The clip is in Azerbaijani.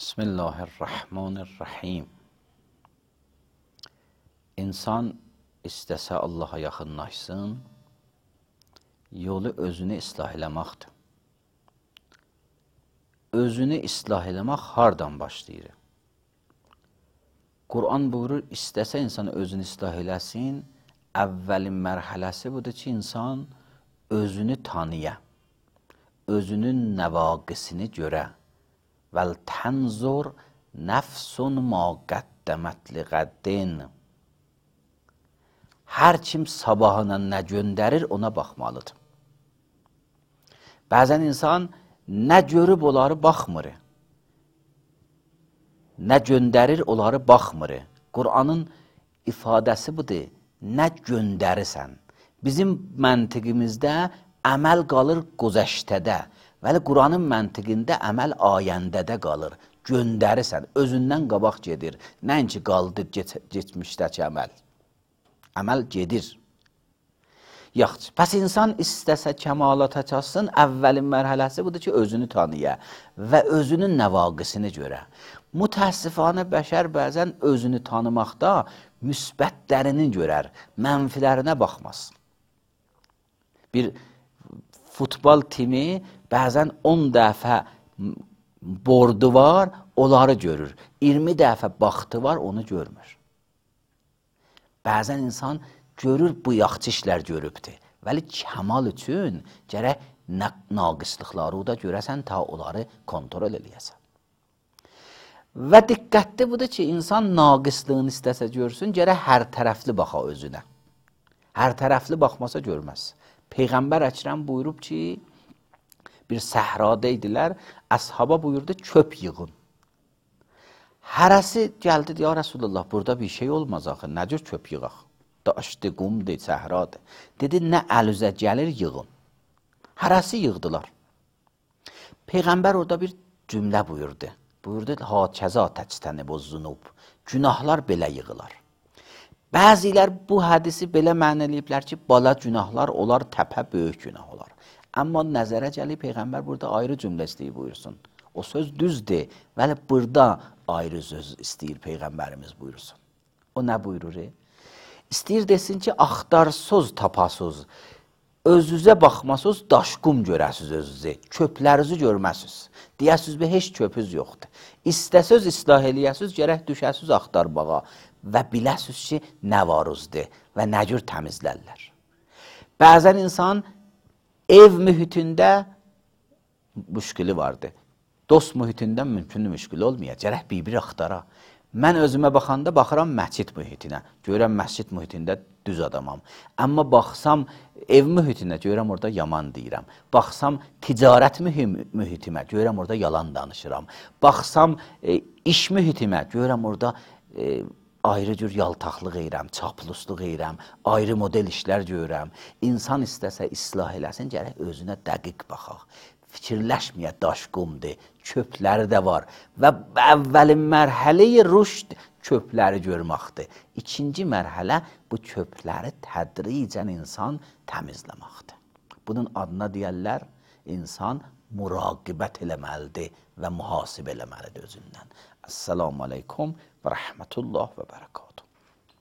Bismillahirrahmanirrahim. İnsan istəsə Allaha yaxınlaşsın, yolu özünü islah eləməkdir. Özünü islah eləmək hardan başlayır? Quran buyurur, istəsə insan özünü islah eləsin, əvvəlin mərhələsi budur ki, insan özünü tanıya, özünün nəvaqisini görə. Vəl tənzur nəfsun ma qəddəmət liqəddin. Hər kim sabahına nə göndərir, ona baxmalıdır. Bəzən insan nə görüb onları baxmır, nə göndərir onları baxmır. Quranın ifadəsi budur, nə göndərirsən. Bizim məntiqimizdə əməl qalır güzəştədə, vəli Quranın məntiqində əməl ayəndədə qalır. Göndərirsən, özündən qabaq gedir. Nəinki qaldı geçmişdəki əməl. Əməl gedir. Yaxşı, pəs insan istəsə kəmalata çatsın, əvvəlin mərhələsi budur ki, özünü tanıya və özünün nəvaqisini görə. Mütəəssifanə bəşər bəzən özünü tanımaqda müsbətlərini görər, mənfilərinə baxmaz. Bir futbol timi bəzən 10 dəfə bordu var, onları görür. 20 dəfə baxtı var, onu görmür. Bəzən insan görür, bu yaxşı işlər görübdür. Vəli kəmal üçün gərək naqislikları da görəsən, ta onları kontrol eləyəsən. Və diqqətli budur ki, insan naqislığını istəsə görsün, gərək hər tərəfli baxa özünə. Hər tərəfli baxmasa görməz. Peyğəmbər Əkrəm buyurub ki, bir səhrada idilər, əshaba buyurdu, çöp yığın. Hərəsi gəldi, ya Rasulullah, burada bir şey olmaz axı, nə cür çöp yığaq? Daşdı, qumdur, səhradır. Dedi, nə əlüzə gəlir, yığın. Hərəsi yığdılar. Peyğəmbər orada bir cümlə buyurdu. Buyurdu, hakəza təctənib o zunub. Günahlar belə yığılar. Bəzilər bu hədisi belə mənə eləyiblər ki, bala günahlar olar, təpə böyük günah olar. Amma nəzərə gəlib, Peyğəmbər burada ayrı cümlə istəyir buyursun. O söz düzdür, vəli burada ayrı söz istəyir Peyğəmbərimiz buyursun. O nə buyurur? İstəyir desin ki, axtarsız, tapasız, özünüzə baxmasız, daşqum görəsiz özünüzü, çöplərinizi görməsiz. Deyəsiz, heç çöpüz yoxdur. İstəsöz islah eləyəsiz, gərək düşəsiz axtarbağa və biləsiz ki, nə varızdır və nə cür təmizlərlər. Bəzən insan ev mühitində müşkili vardır. Dost mühitində mümkün müşkil olmaya, gərək bir-bir axtara. Mən özümə baxanda baxıram məscid mühitinə. Görürəm məscid mühitində düz adamam. Amma baxsam ev mühitinə, görürəm orada yaman deyirəm. Baxsam ticarət mühitimə, görürəm orada yalan danışıram. Baxsam iş mühitimə, görürəm orada ayrı cür yaltaqlıq edirəm, çaplusluq edirəm, ayrı model işlər görürəm. İnsan istəsə islah eləsin, gərək özünə dəqiq baxaq. Fikirləşməyə daşqumdur, çöpləri də var və əvvəlin mərhələyi rüşd çöpləri görməkdir. İkinci mərhələ bu çöpləri tədricən insan təmizləməkdir. Bunun adına deyərlər, insan muraqibət eləməlidir və mühasibə eləməlidir özündən. Əssalamu aleykum və rəhmətullah və bərəkatuhu.